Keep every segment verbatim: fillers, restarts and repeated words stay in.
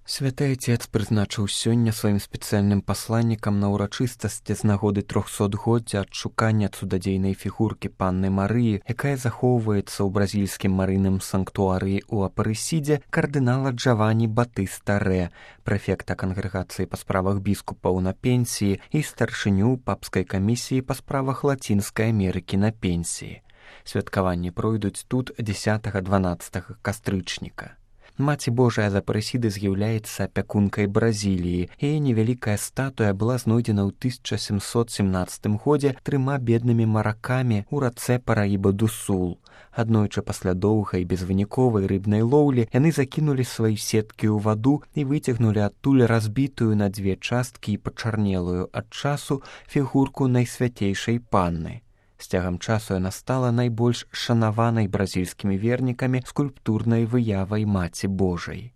Святы Отец прызначыў сёння сваім спецыяльным пасланнікам на ўрачыстасці з нагоды трохсотгоддзя адшукання цудадзейнай фігуркі панны Марыі, якая захоўваецца ў бразільскім марыйным санктуарыі ў Апарэсідзе, кардынала Джавані Батыста Рэ, прэфекта кангрэгацыі па справах біскупаў на пенсіі і старшыню папскай камісіі па справах Лацінскай Амерыкі на пенсіі. Святкаванні пройдуць тут дзесятага-дванаццатага кастрычніка. Маці Божая з Апарэсіды з'яўляецца апякункай Бразіліі. Яе невялікая статуя была знойдзена ў тысяча сямсот семнаццатым годзе трыма беднымі маракамі ў рацэ Параіба-ду-Сул. Аднойчы пасля доўгай безвыніковай рыбнай лоўлі яны закінулі свае сеткі ў ваду і выцягнулі адтуль разбітую на дзве часткі і пачарнелую ад часу фігурку найсвяцейшай панны. З цягам часу яна стала найбольш шанаванай бразільскімі вернікамі скульптурнай выявай Маці Божай.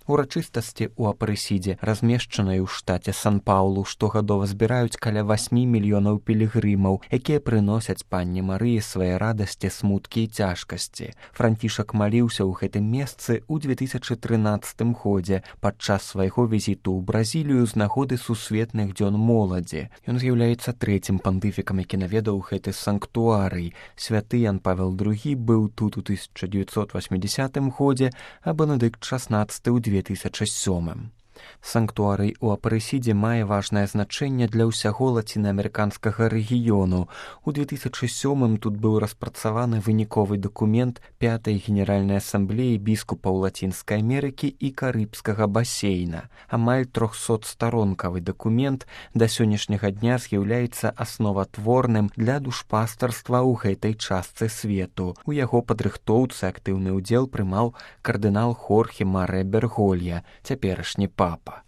Урачыстасці ў Апарэсідзе, размешчанай у штаце Сан-Паулу, штогадова збіраюць каля васьмі мільёнаў пілігрымаў, якія прыносяць панне Марыі свае радасці, смуткі і цяжкасці. Францішак маліўся ў гэтым месцы ў две тысячы трынаццатым годзе падчас свайго візіту ў Бразілію з нагоды сусветных дзён моладзі. Ён з'яўляецца трэцім пантыфікам, які наведаў гэты санктуарый. Святы Ян Павел другі быў тут у тысяча дзевяцьсот васьмідзясятым годзе, а Бенедыкт шаснаццаты ў две тысячы сёмым. Санктуарый у Апарэсідзе мае важнае значэнне для ўсяго лацінаамерыканскага рэгіёну. У две тысячы сёмым тут быў распрацаваны выніковы дакумент пятай генеральнай асамблеі біскупаў Лацінскай Амерыкі і Карыбскага басейна. Амаль трохсотстаронкавы дакумент да сённяшняга дня з'яўляецца асноватворным для душпастарства ў гэтай частцы свету. У яго падрыхтоўцы актыўны ўдзел прымаў кардынал Хорхе Марэ Берголья, цяперашні папа.